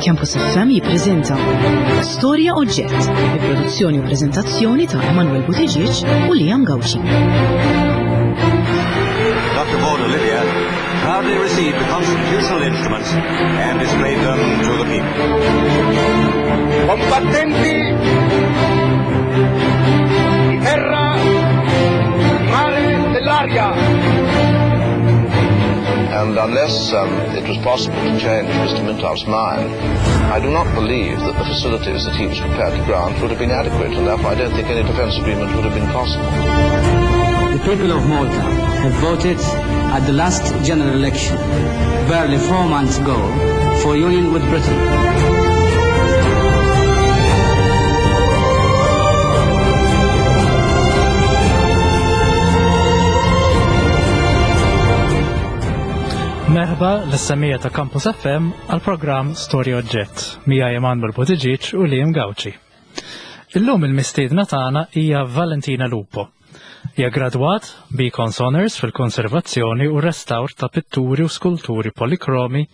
Campus FM jippreżenta Storja Oġġett bi produzzjoni u preżentazzjoni ta' Emanuel Buttigieg u Liam Gauci. Dr. Vaughan Olivia proudly received the constitutional instruments and displayed them to the people. Combattenti di terra, mare, dell'aria. And unless um, it was possible to change Mr. Mintoff's mind, I do not believe that the facilities that he was prepared to grant would have been adequate, and therefore I don't think any defence agreement would have been possible. The people of Malta have voted at the last general election, barely four months ago, for union with Britain. Merħba l-semija ta' Campus FM għal programm Storja Oġġett mija Emanuel Buttigieg u Liam Gauci. Illum il-mistiedna tagħna hija Valentina Lupo. Hija gradwat Beacons Honors fil-konservazzjoni u restawr ta' pitturi u skulturi polikromi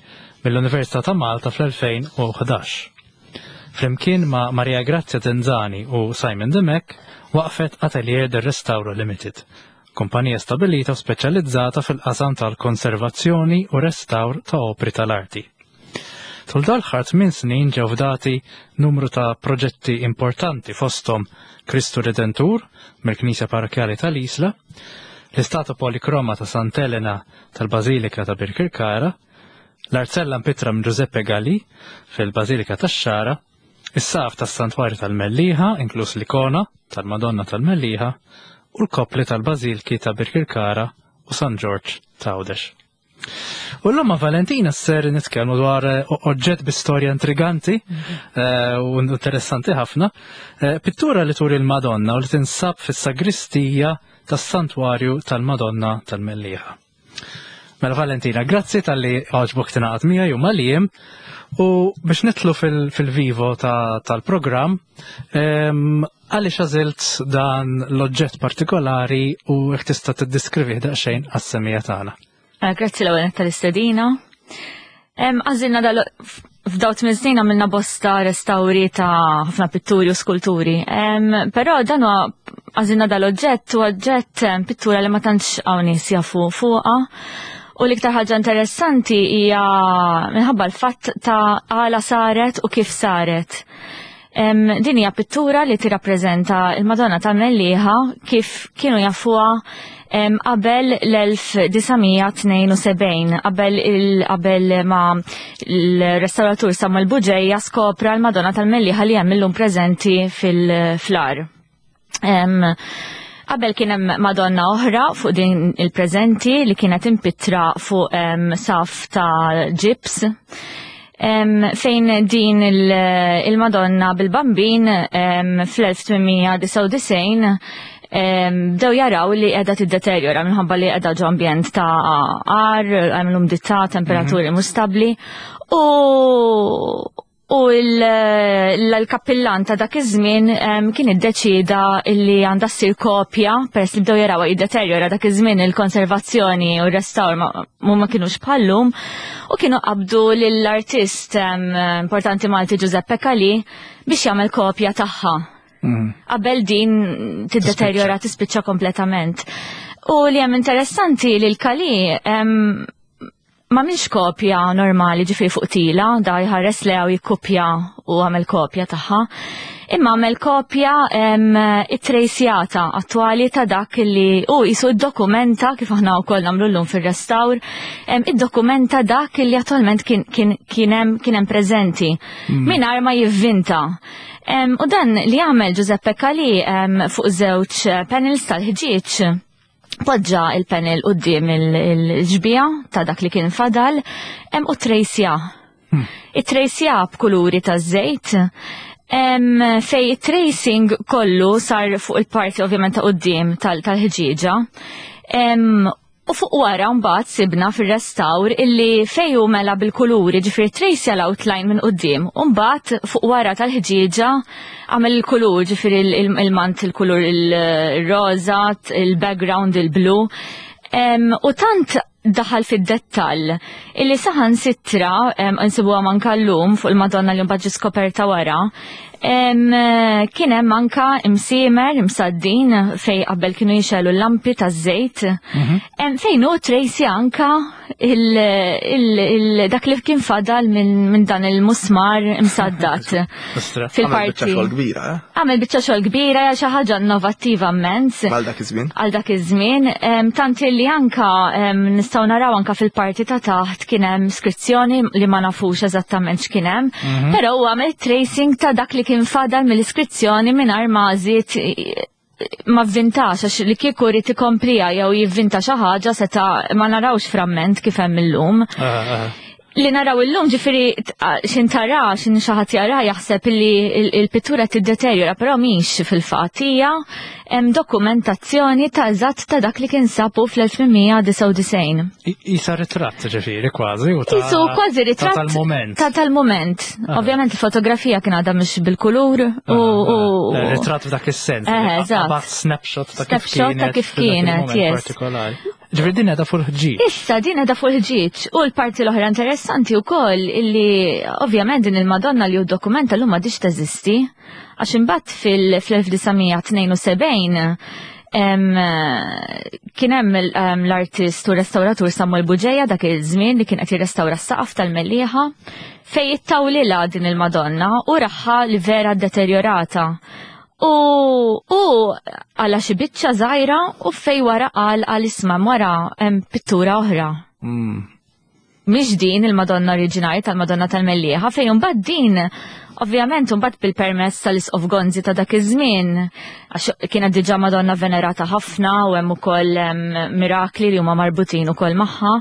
mill-Università ta' Malta fl-2011. Flimkien ma' Maria Grazia Tenzani u Simon Demek waqfet Atelier del Restauro Limited, kumpanija stabilita u speċjalizzata fil-qasam tal-konservazzjoni u restawr ta' opri tal-arti. Tul dal-ħar minn snin ġew fdati numru ta' proġetti importanti fosthom Kristu Redentur mill-Knisja Parrokjali tal-Isla, l-istatua polikroma ta' Sant'Elena tal-Bażilika ta' Birkirkara, l-Arzella mpittra minn Giuseppe Galli fil-Bażilika tax-Xara, is-saqaf tas-Santwarju tal-Mellieħa, inkluż l-ikona tal-Madonna tal-Mellieħa, u l-koppli tal-Bażilki ta' Birkirkara u San Ġorġ ta' Għawdex. U l ma' Valentina ser nitkellmu dwar eh, oġġett bi storja intriganti eh, u interessanti ħafna, eh, pittura li turi l-Madonna u li tinsab fis-sagristija tas-Santwarju tal-Madonna tal-Mellieħa. Mela Valentina, grazzi tal-li għoġbok tingħaqad miegħi u mal-jiem u biex nitlu fil-vivo tal-programm, għaliex għażilt dan l-oġġett partikolari u jekk tista' tiddiskrivih daqsxejn għas-semija tagħna. Eh, grazzi l-ewwel tal-istedina. Għażilna dal f'daw tmien snin għamilna bosta restawri ta' ħafna pitturi u skulturi. Però dan huwa għażilna dal-oġġett u oġġett pittura li ma tantx hawn nies jafu fuqha. U l-iktar ħaġa interessanti hija minħabba l-fatt ta' għala saret u kif saret. Din hija pittura li tirrappreżenta il-Madonna tal-Mellieħa kif kienu jafuha qabel l-1972, qabel qabel ma l-restauratur Samuel Buġeja skopra l-Madonna tal-Mellieħa li hemm illum preżenti fil-flar. Qabel kien hemm Madonna oħra fuq din il-preżenti li kienet impittra fuq saf ta' ġips fejn din il-Madonna bil-Bambin fl-1899 bdew jaraw li qiegħda tiddeterjora minħabba li qiegħda ġo ambjent ta' ar, hemm l-umdità, temperaturi mhux stabbli u U l-kappillan ta' dak iż-żmien kien iddeċieda li għandha ssir kopja peress li bdew jaraw jiddeterjora dak iż-żmien il-konservazzjoni u r-restawr ma kinux bħallum u kienu qabdu lill-artist importanti Malti Giuseppe Calì biex jagħmel kopja tagħha. Qabel din tiddeterjora tispiċċa kompletament. U li hemm interessanti li l-Calì ma minx kopja normali ġifiri fuq tila, da jħares lew jikkupja u għamel kopja tagħha. Imma għamel kopja it-trejsjata attwali ta' dak li u jisu id-dokumenta kif aħna wkoll nagħmlu llum fir-restawr, id-dokumenta dak li attwalment kien hemm preżenti mingħajr ma jivvinta. U dan li għamel Giuseppe Calì fuq żewġ panels tal-ħġieġ poġġa il-panel quddiem il-ġbija ta' dak li kien fadal hemm u trejsja. It-trejsja b'kuluri ta' żejt fej it-tracing kollu sar fuq il-parti ovvjament ta' quddiem tal-ħġieġa. U fuq wara mbagħad sibna fir-restawr illi fej hu mela bil-kuluri, ġifieri tracea l-outline minn quddiem, u mbagħad fuq wara tal-ħġieġa għamel il-kulur, ġifieri il-mant il-kulur il-roża, il-background il-blu. U tant daħal fid-dettall illi saħan sitra insibuha manka llum fuq il-Madonna li mbagħad ġiet skoperta wara. Kien hemm anka imsiemer imsaddin fej qabel kienu jixelu l-lampi taż-żejt. Fejn hu Tracy anka dak li kien fadal minn dan il-musmar imsaddat. Fil-parti. Għamel kbira, eh? Għamel biċċa xogħol kbira hija xi ħaġa innovattiva immens. Għal dak iż-żmien. Għal dak iż-żmien, tant li anka nistgħu naraw anka fil-parti ta' taħt kien hemm skrizzjoni li ma nafux eżattament x'kien hemm, però huwa għamel tracing ta' dak li kien fadal mill-iskrizzjoni mingħajr ma żied ma vvintax għax li kieku rrid ikomplija jew jivvinta xi ħaġa seta' ma narawx framment kif hemm illum. Li naraw illum ġifieri xin tara, xin xi ħadd jara jaħseb li il-pittura tiddeterjora, però mhix fil-fatt hija hemm dokumentazzjoni ta' eżatt ta' dak li kien sabu fl-1899. Isa ritratt ġifieri kważi u ta' Isu kważi ritratt tal-moment. Ta' tal-moment. Ovvjament il-fotografija kien għadha mhux bil-kulur u Ritratt f'dak is-sens. Eżatt. Snapshot ta' kif Snapshot ta' kif kienet, yes. partikolari. Ġifieri din qiegħda fuq il-ħġieġ. Issa din qiegħda fuq il-ħġieġ u l-parti l-oħra interessanti wkoll illi ovvjament din il-Madonna li hu dokumenta llum m'għadix teżisti għax imbagħad fil-1972 kien hemm l-artist u restauratur Samuel Buġeja dak iż-żmien li kien qed jirrestawra s-saqaf tal-Mellieħa fej ittawlilha din il-Madonna u raħħa li vera deterjorata. U u għala xi biċċa żgħira u fej wara qal għal isma' wara hemm pittura oħra. Mhix din il-Madonna oriġinali tal-Madonna tal-Mellieħa fejn imbagħad din ovvjament imbagħad bil-permess tal-Isqof Gonzi ta' dak iż-żmien għax kienet diġà Madonna venerata ħafna u hemm ukoll mirakli li huma marbutin ukoll magħha,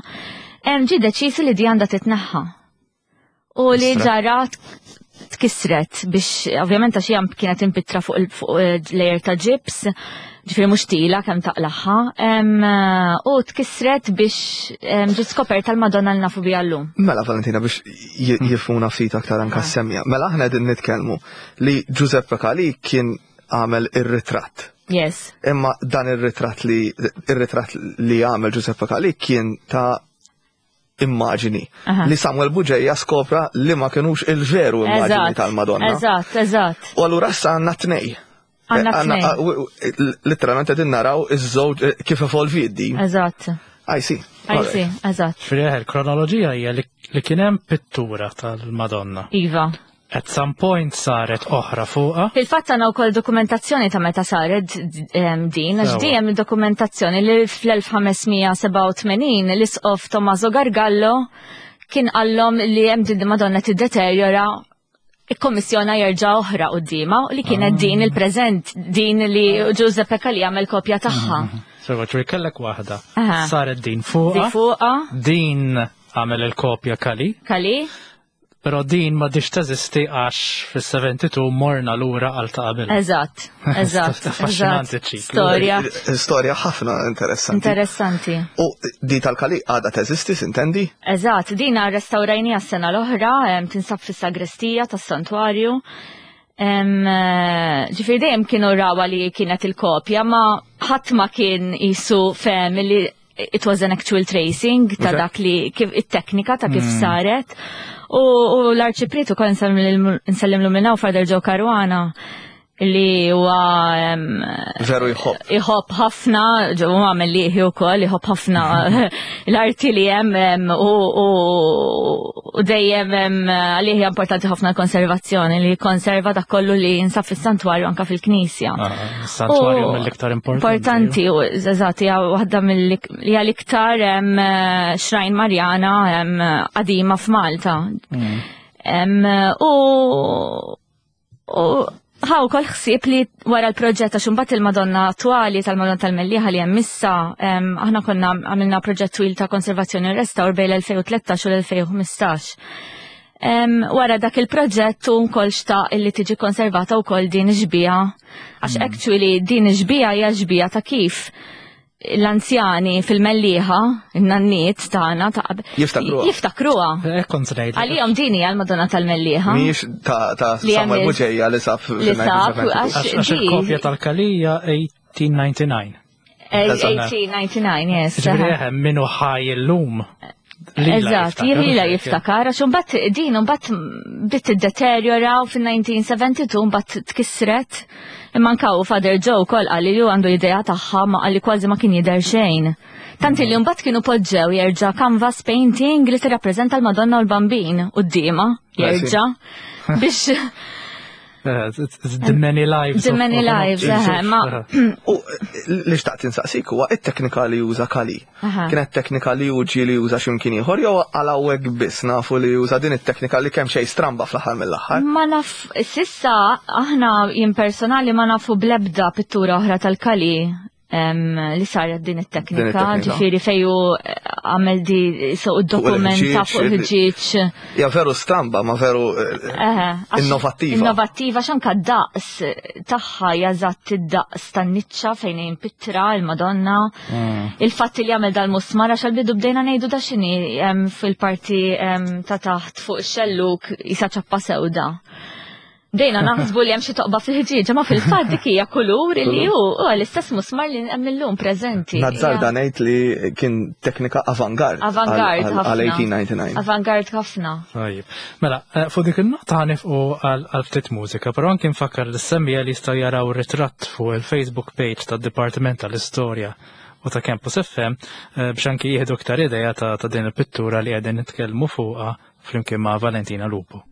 hemm ġie deċiż li di għandha titneħħa. U li ġara tkissret biex ovvjament għax hija kienet impittra fuq il-layer ta' ġibs, ġifieri mhux tila kemm taqlaħħa, u tkissret biex ġiet skoperta l-Madonna li nafu biha llum. Mela Valentina biex jifhmuna ftit aktar anka s-semja. Mela aħna qegħdin nitkellmu li Giuseppe Calì kien għamel ir-ritratt. Yes. Imma dan ir-ritratt li ir-ritratt li għamel Giuseppe Calì kien ta' immaġini li Samuel Buġeja skopra li ma kienux il-veru immaġini tal-Madonna. Eżatt, eżatt. U allura issa għandna tnej. Għandna Literalment qegħdin naraw iż-żewġ kif evolvi din. Eżatt. I see. I see, eżatt. Frieħ, il-kronoloġija hija li kien hemm pittura tal-Madonna. Iva. At some point saret oħra fuqha. Fil-fatt għandna wkoll dokumentazzjoni ta' meta saret din, għax di hemm dokumentazzjoni li fl-1587 l-isqof Tommaso Gargallo kien qallhom li hemm din Madonna tiddeterjora ikkommissjona jerġa' oħra quddiemha li kienet din il-preżent din li Giuseppe Calì għamel kopja tagħha. Sewa ċuri kellek waħda. Saret din fuqha. Din fuqha. Din għamel il-kopja Calì. Calì. Però din ma diċ teżisti għax fis-72 morna lura għal ta' qabel. Eżatt, eżatt. Affaxxinanti ċiklu. Storja. Storja ħafna interessanti. Interessanti. U di tal-Kali għadha teżisti, sintendi? Eżatt, din restawrajnija s-sena l-oħra, tinsab fis-sagrestija tas-santwarju. Ġifieri dejjem kienu rawa li kienet il-kopja, ma ħadd ma kien isu fehem li it was an actual tracing ta' dak li kif it-teknika ta' kif saret. U l-arċipriet ukoll nsellimlu minn hawn Father Joe Caruana li huwa veru jħobb. Jħobb ħafna, ġew għamel liħi wkoll, jħobb ħafna l-arti li hemm u dejjem għalih hija importanti ħafna l-konservazzjoni li jikkonserva dak kollu li jinsab fis-santwarju anke fil-knisja. Santwarju mill-iktar importanti. Importanti, u eżatt, hija waħda mill hija l-iktar xrajn Marjana qadima f'Malta. U ħaw kol ħsieb li wara l-proġett għax imbagħad il-Madonna attwali tal-Madonna tal-Mellieħa li hemm issa, aħna konna għamilna proġett twil ta' konservazzjoni u restawr bejn l-2013 u l-2015. Wara dak il-proġett u wkoll xtaq illi tiġi konservata wkoll din ix-xbieha, għax actually din ix-xbieha hija xbieha ta' kif l-anzjani fil-Mellieħa, in-nanniet tagħna ta' qabel. Jiftakruha. Jiftakruha. Kont ngħid. Għalihom din hija l-Madonna tal-Mellieħa. Mhijiex ta' Samuel Buġeja li sab Li sab, għax Għax il-kopja tal-Kalija 1899. 1899, yes. Ġifieri minnu ħaj illum. Eżatt, lila jiftakar, għax imbagħad din imbagħad bdiet tiddeterjora u fin-1972 mbagħad tkissret. Imma anke hu Father Joe wkoll qal li hu għandu idea tagħha ma qal li kważi ma kien jidher xejn. Tant li mbagħad kienu poġġew jerġa' canvas painting li tirrappreżenta l-Madonna u l-Bambin quddiemha jerġa' biex The many lives. The many lives, eh, ma. U li xtaqt insaqsik huwa it-teknika li juża Kali. Kienet teknika li uġi li juża x'imkien ieħor jew għal hawnhekk biss nafu li juża din it-teknika li kemm xejn stramba fl-aħħar mill-aħħar. Ma naf, sissa aħna jien personali ma nafu blebda pittura oħra tal-Kali li saret din it-teknika, ġifieri fejju eh, għamel di so dokumenta fuq il-ħġieġ. Ja veru stramba, ma veru eh, innovattiva. Innovattiva xanka daqs tagħha jażatt id-daqs tan-niċċa fejn pittra il-Madonna. Mm. Il-fatt li għamel dal-musmar għax għal-bidu bdejna ngħidu da x'inhi fil-parti ta' taħt fuq ix-xelluk jisa ċappa sewda. Bdejna naħsbu li hemm xi toqba fil-ħġieġa, ma fil-fatt dik hija kulur li hu huwa l-istess musmar li hemm illum preżenti. Nazzarda ngħid li kien teknika avangard. Avangard ħafna. Għal 1899. Avangard ħafna. Tajjeb. Mela, eh, fuq dik il-nota ħanifqu għal ftit mużika, però anke nfakkar lis-semmija li jistgħu jaraw ritratt fuq il-Facebook page tad-Dipartiment tal-Istorja u ta' Campus FM eh, biex anki jieħdu iktar idea ta' din il-pittura li qegħdin nitkellmu fuqha flimkien ma' Valentina Lupo.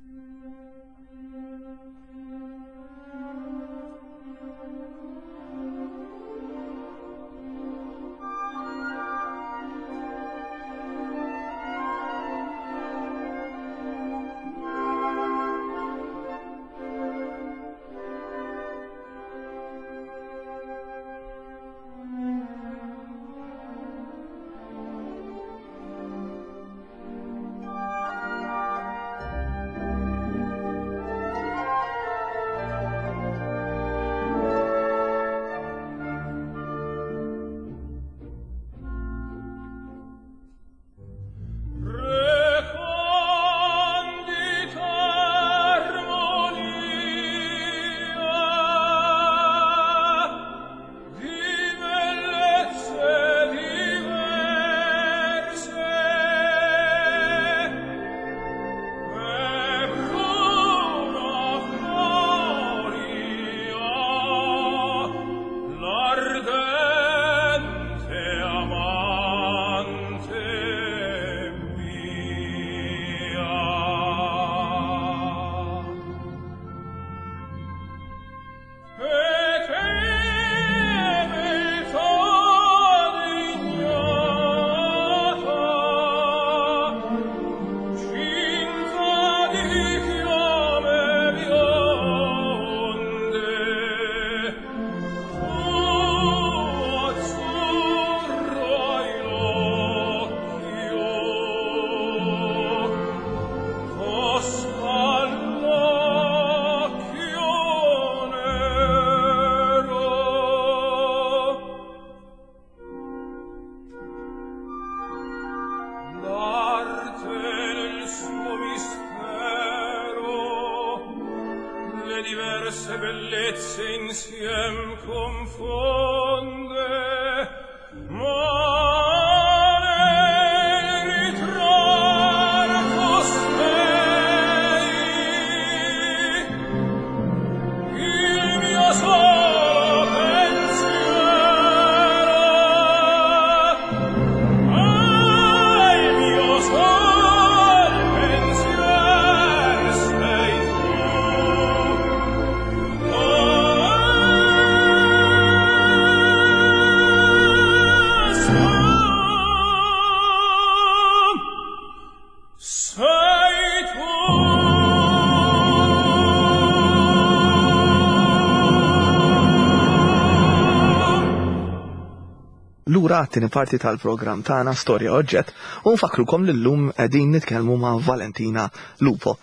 Lura għat-tieni parti tal-programm tagħna Storja Oġġett u nfakkrukom li llum qegħdin nitkellmu ma' Valentina Lupo.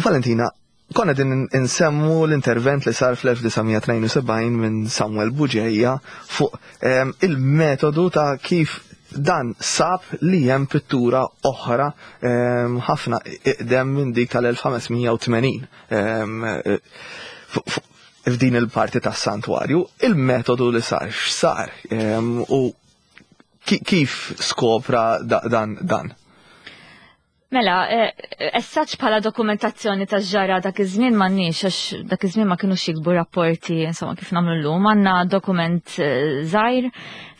Valentina, konna din insemmu l-intervent li sar fl-1972 minn Samuel Buġeja fuq ehm, il-metodu ta' kif dan sab li hemm pittura oħra ehm, ħafna iqdem minn dik tal-1580. Ehm, f'din il-parti tas-santwarju, il-metodu li sar x'sar u kif skopra dan dan? Mela, essaċ bħala dokumentazzjoni ta' ġara dak iż-żmien m'għandniex għax dak iż-żmien ma kinux jikbu rapporti insomma kif nagħmlu llum, għandna dokument żgħir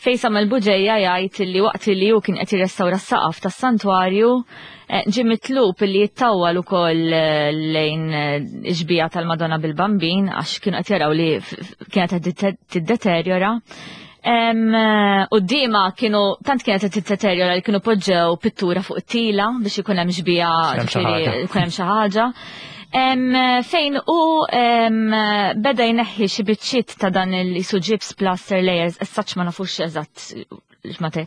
fejn Samuel Buġeja jgħid li waqt li hu kien qed jirrestawra s-saqaf tas-santwarju ġie mitlub li jittawwal ukoll lejn ix-xbieha tal-Madonna bil-Bambin għax kienu qed jaraw li kienet qed tiddeterjora. U d-dima kienu tant kienet qed tiddeterjora li kienu poġġew pittura fuq it-tila biex ikun hemm xbieha ikun hemm xi ħaġa. Fejn u beda jneħħi xi biċċiet ta' dan il-isu ġibs plaster layers, as such ma nafux eżatt x'mate.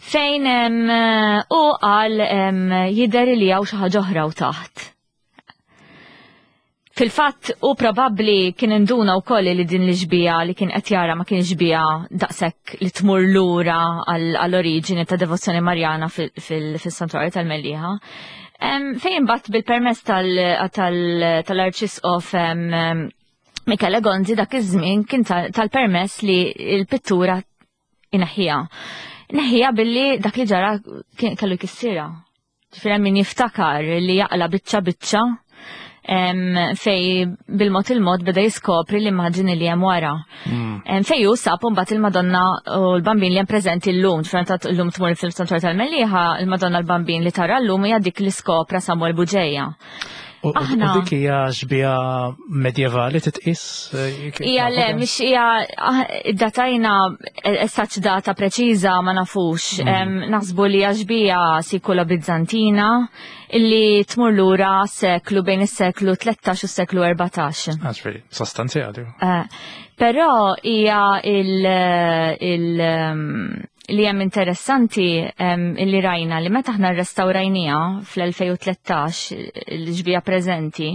Fejn u qal jidher li hawn xi ħaġa oħra u taħt. Fil-fatt u probabbli kien induna wkoll li din l-ixbija li kien qed jara ma kienx xbija daqshekk li tmur lura għall-oriġini ta' devozzjoni Marjana fil-Santwarju tal-Mellieħa. Fejn imbagħad bil-permess tal-Arċisqof Michele Gonzi dak iż-żmien kien tal-permess li l-pittura ineħħiha. Neħħiha billi dak li ġara kellu jkissirha. Ġifieri min jiftakar li jaqla biċċa biċċa fej bil-mod il-mod beda jiskopri l-immaġini li hemm wara. Fej hu sab mbagħad il-Madonna u l-Bambin li hemm preżenti llum, ġifieri ta' llum tmur fil-Santwarju tal-Mellieħa, il-Madonna l-Bambin li tara llum hija dik li skopra Samuel Buġeja. U dik hija xbieha medjevali titqis? Hija le, mhix hija datajna esaċ data preċiża ma nafux. Naħsbu li hija xbieha sikula Bizzantina illi tmur lura seklu bejn is-seklu 13 u s-seklu 14. Ġifieri, sostanzjali. Però hija il li hemm interessanti illi rajna li meta aħna rrestawrajniha fl-2013 l-ġbija preżenti,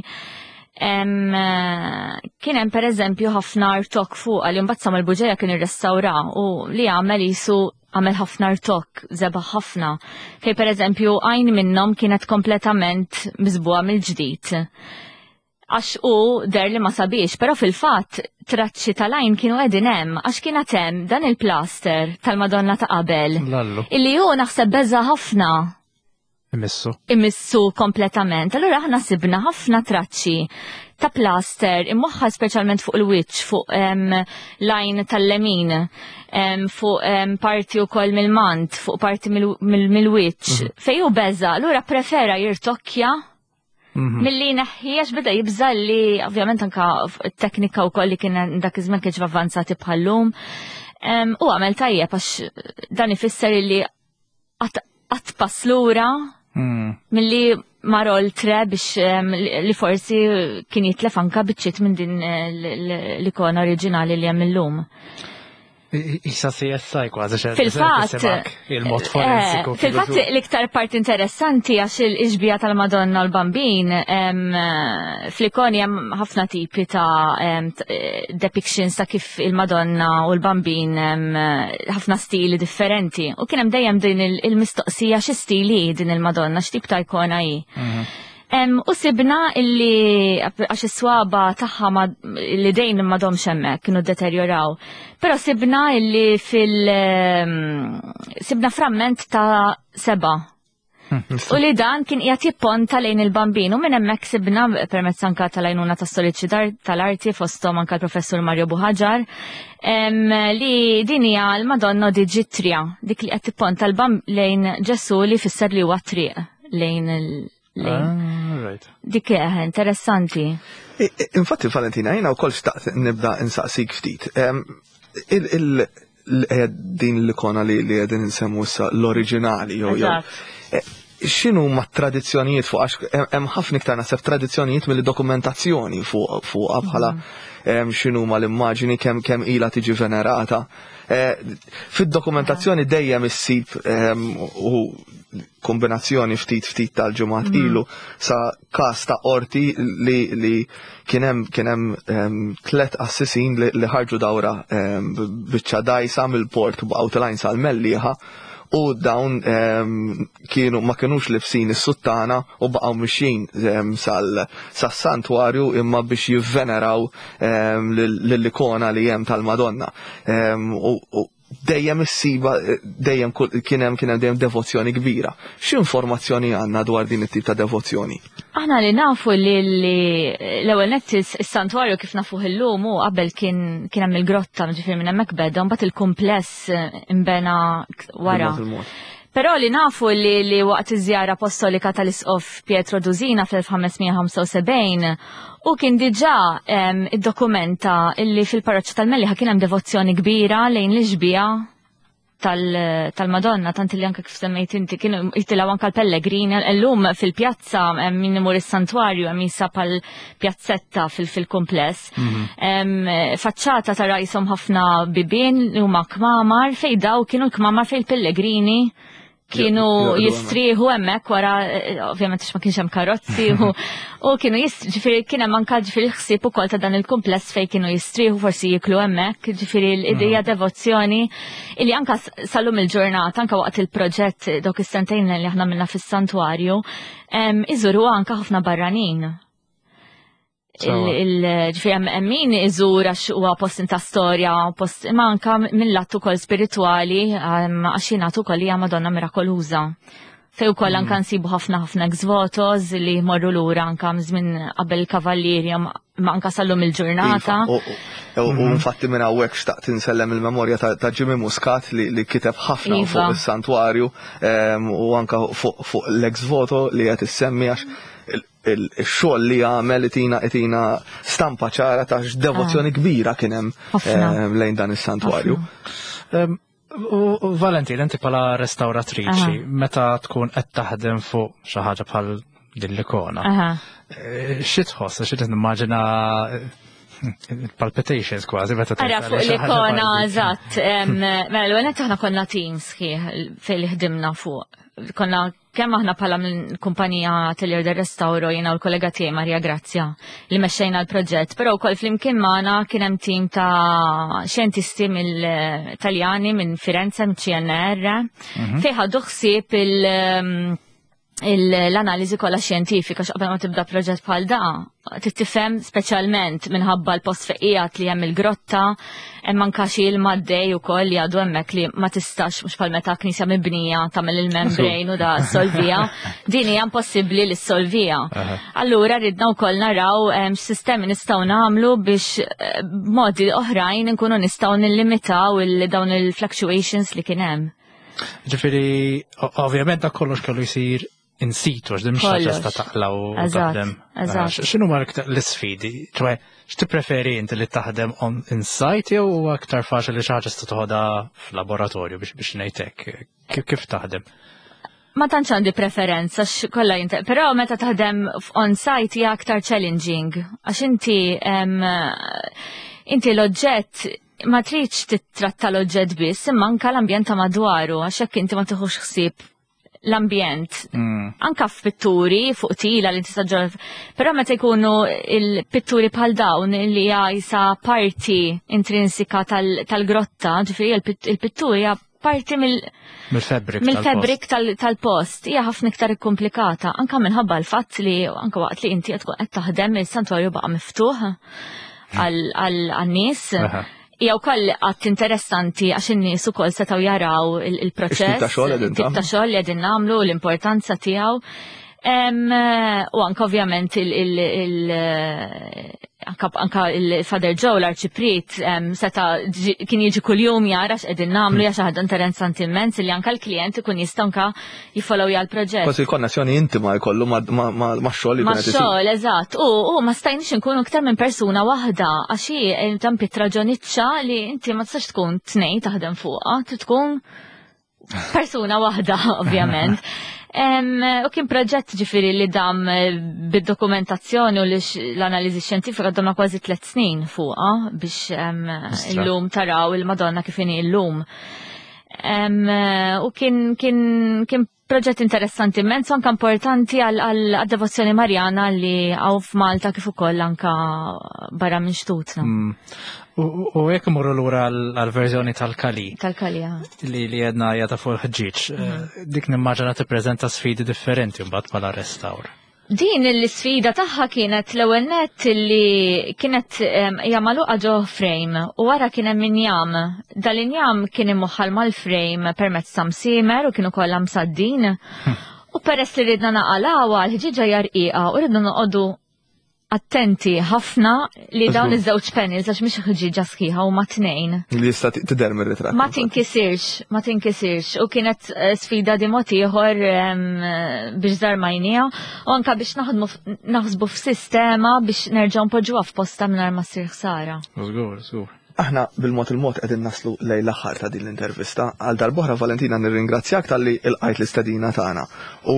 kien hemm pereżempju ħafna rtok fuqha li mbagħad Samuel Buġeja kien irrestawra u li għamel jisu għamel ħafna rtok, żebaħ ħafna. Fej pereżempju għajn minnhom kienet kompletament miżbuha mill-ġdid. Għax u der li ma sabiex, però fil-fatt traċċi tal-għajn kienu qegħdin hemm għax kien hemm dan il-plaster tal-Madonna ta' qabel. Lallu. Illi hu naħseb beża ħafna. Imissu. Imissu kompletament. Allura aħna sibna ħafna traċċi ta' plaster imwaħħal speċjalment fuq il-wiċċ, fuq lajn tal-lemin, fuq parti wkoll mill-mant, fuq parti mill-wiċċ. Fej hu beża, allura prefera jirtokkja milli neħħi għax beda jibża li ovvjament anka t-teknika wkoll li kien dak iż-żmien kienx avvanzati bħallum. U għamel tajjeb għax dan ifisser li qatt pass lura milli mar oltre biex li forsi kien jitlef anka biċċiet minn din l-ikona oriġinali li hemm illum. Issa CSI kważi xejn. Fil-fatt, il-mod forensiku. Fil-fatt l-iktar parti interessanti għax il-ixbija tal-Madonna u l-Bambin fl-ikoni hemm ħafna tipi ta' depictions ta' kif il-Madonna u l-Bambin ħafna stili differenti. U kien hemm dejjem din il-mistoqsija xi stili din il-Madonna, x'tip ta' ikona hi. U sibna illi għax is-swaba tagħha li dejn m'għadhomx hemmhekk kienu deterjoraw. Però sibna illi fil sibna framment ta' seba. U li dan kien qiegħed jipponta lejn il-Bambin u minn hemmhekk sibna permezz anka tal-għajnuna ta' storiċi tal-arti fosthom anka l-professur Mario Buhaġar li din hija l-Madonna di Ġitrija, dik li qed tipponta lejn Ġesu li fisser li huwa triq lejn il- Dik interessanti. Infatti, Valentina, jena u kol xtaqt nibda insaqsik ftit. Din l-ikona li qegħdin insemmu issa l-oriġinali jew jew. X'inhu ma tradizzjonijiet fuq għax hemm ħafna iktar naħseb tradizzjonijiet mill-dokumentazzjoni fuq bħala x'inhu ma l-immaġini kemm ilha tiġi venerata. Fid-dokumentazzjoni dejjem issib u kombinazzjoni ftit ftit tal-ġimgħat ilu sa każ ta' qorti li kien hemm tlet assisin li ħarġu dawra biċċa dajsa mill-port baqgħu telgħin sal-Mellieħa. U dawn kienu ma kinux libsin is-suttana u baqgħu mixjin sas-santwarju imma biex jivveneraw lill-ikona li hemm tal-Madonna. U dejjem issiba dejjem kien hemm kien hemm dejjem devozzjoni kbira. X'informazzjoni għandna dwar din it-tip ta' devozzjoni? Aħna li nafu li l-ewwel nett is-santwarju kif nafuh illum hu qabel kien kien hemm il-grotta, ġifieri minn hemmhekk beda, mbagħad il-kumpless imbena wara. Però li nafu li, li waqt iż-żjara apostolika tal-Isqof Pietro Duzina fl-1575 u kien diġà iddokumenta illi fil-parroċċa tal-Mellieħa kien hemm devozzjoni kbira lejn l-ixbija tal-Madonna, tant li anke kif semmejt inti kienu jitilgħu anke l-pellegrini, illum fil-pjazza min imur is-santwarju hemm jisab pal pjazzetta fil-kumpless. Faċċata tara jisom ħafna bibien li huma kmamar fej daw kienu l-kmamar fej l-pellegrini kienu jistrieħu hemmhekk wara eh, ovvjament ma kienx hemm karozzi u kienu ġifieri kien hemm anke ġifieri ħsieb ukoll ta' dan il-kumpless fejn kienu jistrieħu forsi jiklu hemmhekk, ġifieri l-idea mm. devozzjoni illi anke sal-lum il-ġurnata anke waqt il-proġett dawk is-sentejn li aħna minna fis-santwarju, iżuru anke ħafna barranin. Ġifieri hemm min iżur għax huwa post ta' storja, post imma anka mill-lat ukoll spiritwali għax jingħad ukoll hija Madonna Mirakoluża. Fej ukoll anka mm. nsibu ħafna ħafna ex-votos li jmorru lura anka żmien qabel kavallieri ma anka sallum il-ġurnata. Iva, u mhm. infatti minn hawnhekk xtaqt insellem il-memorja ta' Jimmy Muscat li kiteb ħafna iva. fuq is-santwarju u anka fuq l-ex voto li qed issemmi għax il-xogħol li għamel itina itina stampa ċara ta' x'devozzjoni ah. kbira kien hemm eh, lejn dan is-santwarju. U Valentin, inti bħala restauratriċi, meta tkun qed taħdem fuq xi ħaġa bħal din l-ikona, eh, xi tħoss, xi nimmaġina eh, palpitations kważi meta Ara fuq l-ikona, eżatt. Mela l-ewwel aħna konna team sħiħ fejn li ħdimna fuq. Konna Kemm aħna bħala kumpanija Atelier del Restauro jiena u l-kollega tiegħi Maria Grazia li mexxejna l-proġett, però wkoll flimkien magħna kien hemm tim ta' xjentisti mill-Taljani minn Firenze minn CNR mhm. fejn ħadu ħsieb il- l-analiżi kollha xjentifika x'qabel ma tibda proġett bħal da, tifhem speċjalment minħabba l-post fejn li hemm il-grotta, hemm anka xi ilma għaddej ukoll li għadu hemmhekk li ma tistax mhux bħal meta knisja mibnija tagħmel il-membrane u da solvija. Din hija impossibbli li ssolvija. Allura ridna wkoll naraw x'sistemi nistgħu nagħmlu biex eh, b'modi oħrajn inkunu nistgħu nillimitaw dawn il-fluctuations li kien hemm. Ġifieri, ovvjament dak kollox kellu jsir in situ, għax din mhux ħaġa sta taqla u taħdem. Eh, x'inhu ma l-isfidi? ċwe, x'tippreferi inti li taħdem on in site jew huwa aktar faċli li xi ħaġa sta toħodha f'laboratorju biex biex ngħidlek kif taħdem? Ma tantx għandi preferenza kollha jinte, però meta taħdem on site hija aktar challenging għax inti inti l-oġġett ma tridx titratta l-oġġett biss imma anka l-ambjent ta' madwaru għax hekk inti ma tieħux ħsieb l-ambjent. Mm. Anka f'pitturi fuq tila li tista' ġol. Però meta jkunu il-pitturi bħal dawn li hija jisa parti intrinsika tal-grotta, ġifieri il-pitturi hija parti mill-fabric mill-fabric tal-post hija ħafna iktar ikkomplikata anka minħabba l-fatt li anka waqt li inti qed tkun qed taħdem il-santwarju baqa' miftuħ għal-nies. Hija wkoll qatt interessanti għax in-nies ukoll setgħu jaraw il-proċess. Tip ta' xogħol li qegħdin nagħmlu, l-importanza tiegħu. U anka ovvjament anka il-Father Joe l-Arċipriet seta kien jiġi kuljum jara x'qegħdin nagħmlu hija xi ħaġa interessanti immens li anka l-klient ikun jista' anka jiffollowja l-proġett. Kważi konnessjoni intima jkollu ma' xogħol li Ma' xogħol, eżatt. U ma stajniex nkunu iktar minn persuna waħda għax hi eh, tam pitra ġoniċċa li inti ma tistax tkun tnejn taħdem fuqha, trid tkun persuna waħda, ovvjament. U kien proġett ġifiri li dam eh, bid-dokumentazzjoni u l-analiżi xjentifika damna kważi 3 snin fuqha biex illum taraw il-Madonna kif inhi illum. U kien proġett interessanti immens, anka importanti għal devozzjoni Marjana li hawn f'Malta kif ukoll anka barra minn xtutna. U jekk imorru lura għal-verżjoni tal-Kali. Tal-Kali, Li li jedna jata fuq il-ħġieġ. Mhm. Dik nimmaġina tippreżenta sfidi differenti mbagħad bħala restawr. Din l-sfida tagħha kienet l-ewwel nett li kienet hija magħluqa ġo frame u wara kien hemm injam. Dal-injam kien imwaħħal mal-frame permezz ta' msiemer u kienu kollha msaddin. Hmm. U peress li ridna naqalgħuha l-ħġieġa hija rqiqa u ridna noqogħdu attenti ħafna li dawn iż-żewġ panels għax mhix ħġieġa sħiħa huma tnejn. Li jista' tidher mir-ritratt. Ma tinkisirx, ma tinkisirx u kienet eh, sfida di mod ieħor biex żarmajnija u anka biex naħdmu naħsbu f'sistema biex nerġgħu npoġġuha f'posta mingħajr ma ssir ħsara. Żgur, żgur. Aħna bil-mod il-mod qegħdin naslu lejn l-aħħar ta' din l-intervista. Għal darb'oħra Valentina nirringrazzjak talli ilqajt l-istedina tagħna u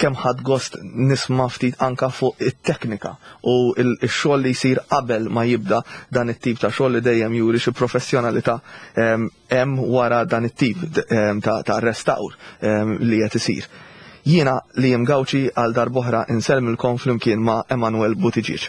kemm ħadt gost nisma' ftit anka fuq it-teknika u x-xogħol li jsir qabel ma jibda dan it-tip ta' xogħol li dejjem juri xi professjonalità ehm, hemm wara dan it-tip ehm, ta' restawr ehm, li qed isir. Jiena li Gawċi għal darb'oħra insellmilkom flimkien ma' Emanuel Buttigieg.